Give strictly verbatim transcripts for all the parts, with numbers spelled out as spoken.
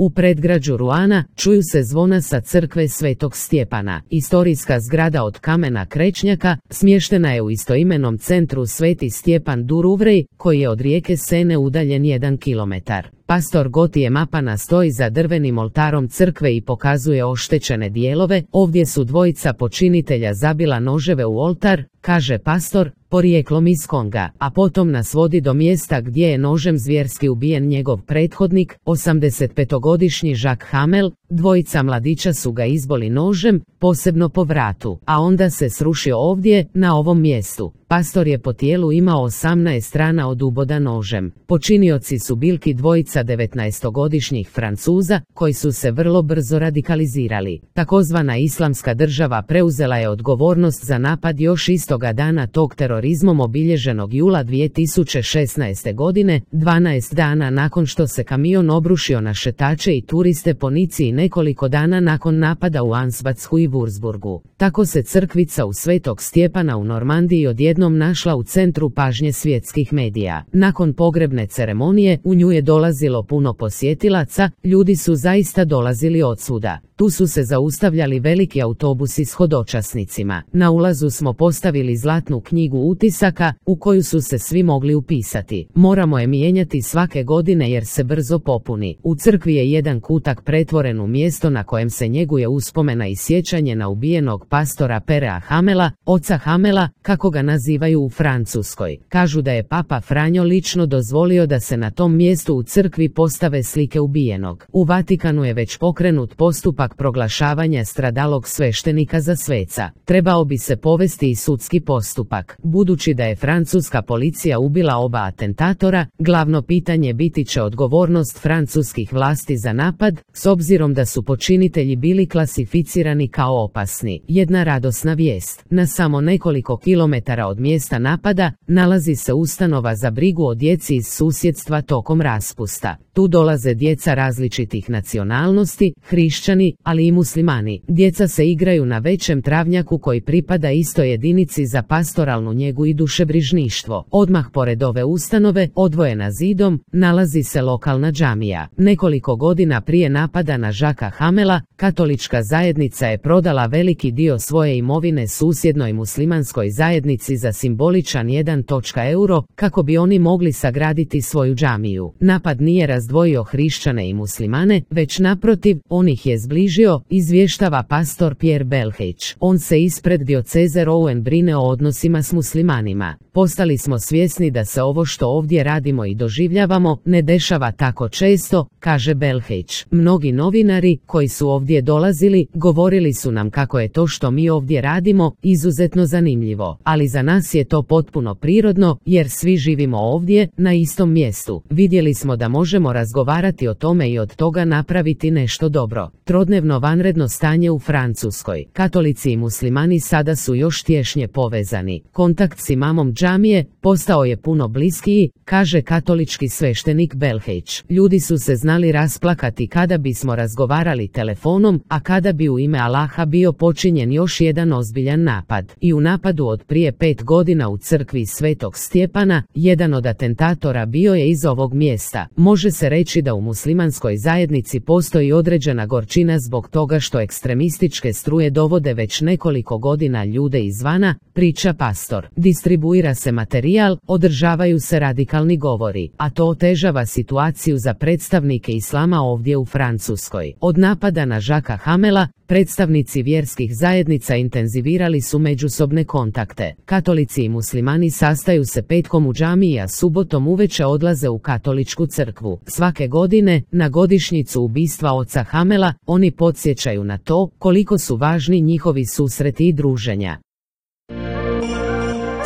U predgrađu Ruana čuju se zvona sa crkve Svetog Stjepana. Istorijska zgrada od kamena krečnjaka smještena je u istoimenom centru Sveti Stjepan du Rouvray, koji je od rijeke Sene udaljen jedan kilometar. Pastor Gotije Mapana stoji za drvenim oltarom crkve i pokazuje oštećene dijelove. Ovdje su dvojica počinitelja zabila noževe u oltar, kaže pastor, porijeklom iz Konga, a potom nas vodi do mjesta gdje je nožem zvjerski ubijen njegov prethodnik, osamdesetpetogodišnji Jacques Hamel. Dvojica mladića su ga izboli nožem, posebno po vratu, a onda se srušio ovdje, na ovom mjestu. Pastor je po tijelu imao osamnaest rana od uboda nožem. Počinioci su bilki dvojica devetnaestogodišnjih Francuza, koji su se vrlo brzo radikalizirali. Takozvana Islamska država preuzela je odgovornost za napad još istoga dana tog terorizmom obilježenog jula dvije tisuće šesnaeste. godine, dvanaest dana nakon što se kamion obrušio na šetače i turiste po Nici i nekoliko dana nakon napada u Ansbachu i Wurzburgu. Tako se crkvica u Svetog Stjepana u Normandiji odjednom našla u centru pažnje svjetskih medija. Nakon pogrebne ceremonije u nju je dolazilo puno posjetilaca, ljudi su zaista dolazili odsvuda. Tu su se zaustavljali veliki autobusi s hodočasnicima. Na ulazu smo postavili zlatnu knjigu utisaka, u koju su se svi mogli upisati. Moramo je mijenjati svake godine jer se brzo popuni. U crkvi je jedan kutak pretvoren u mjesto na kojem se njeguje uspomena i sjećanje na ubijenog pastora Perea Hamela, oca Hamela, kako ga nazivaju u Francuskoj. Kažu da je Papa Franjo lično dozvolio da se na tom mjestu u crkvi postave slike ubijenog. U Vatikanu je već pokrenut postupak proglašavanja stradalog sveštenika za sveca. Trebao bi se povesti i sudski postupak. Budući da je francuska policija ubila oba atentatora, glavno pitanje biti će odgovornost francuskih vlasti za napad, s obzirom da su počinitelji bili klasificirani kao opasni. Jedna radosna vijest. Na samo nekoliko kilometara od mjesta napada nalazi se ustanova za brigu o djeci iz susjedstva tokom raspusta. Tu dolaze djeca različitih nacionalnosti, hrišćani, ali i muslimani. Djeca se igraju na većem travnjaku koji pripada istoj jedinici za pastoralnu njegu i dušebrižništvo. Odmah pored ove ustanove, odvojena zidom, nalazi se lokalna džamija. Nekoliko godina prije napada na Jacquesa Hamela, katolička zajednica je prodala veliki dio svoje imovine susjednoj muslimanskoj zajednici za simboličan jedan euro, kako bi oni mogli sagraditi svoju džamiju. Napad nije razdvojio hrišćane i muslimane, već naprotiv, on ih je zbližio, izvještava pastor Pierre Belhage. On se ispred dioceze Rouen brine o odnosima s muslimanima. Postali smo svjesni da se ovo što ovdje radimo i doživljavamo ne dešava tako često, kaže Belhage. Mnogi novinari koji su ovdje dolazili govorili su nam kako je to što mi ovdje radimo izuzetno zanimljivo, ali za nas je to potpuno prirodno jer svi živimo ovdje na istom mjestu. Vidjeli smo da možemo razgovarati o tome i od toga napraviti nešto dobro. Trodnevno vanredno stanje u Francuskoj. Katolici i muslimani sada su još tješnje povezani. Kontakt s imamom džamije postao je puno bliskiji, kaže katolički sveštenik Belhage. Ljudi su se znali rasplakati kada bismo razgovarali telefonom, a kada bi u ime Allaha bio počinjen još jedan ozbiljan napad. I u napadu od prije pet godina u crkvi Svetog Stjepana, jedan od atentatora bio je iz ovog mjesta. Može se reći da u muslimanskoj zajednici postoji određena gorčina zbog toga što ekstremističke struje dovode već nekoliko godina ljude izvana, priča pastor. Distribuira se materijal, održavaju se radikalni govori, a to otežava situaciju za predstavnike islama ovdje u Francuskoj. Od napada na Jacquesa Hamela, predstavnici vjerskih zajednica intenzivirali su međusobne kontakte. Katolici i muslimani sastaju se petkom u džamiji, a subotom uveče odlaze u katoličku crkvu. Svake godine, na godišnjicu ubistva oca Hamela, oni podsjećaju na to koliko su važni njihovi susreti i druženja.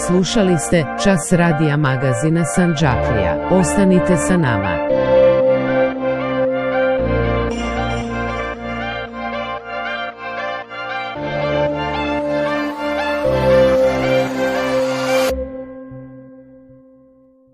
Slušali ste Čas radija magazina Sandžaklija. Ostanite sa nama.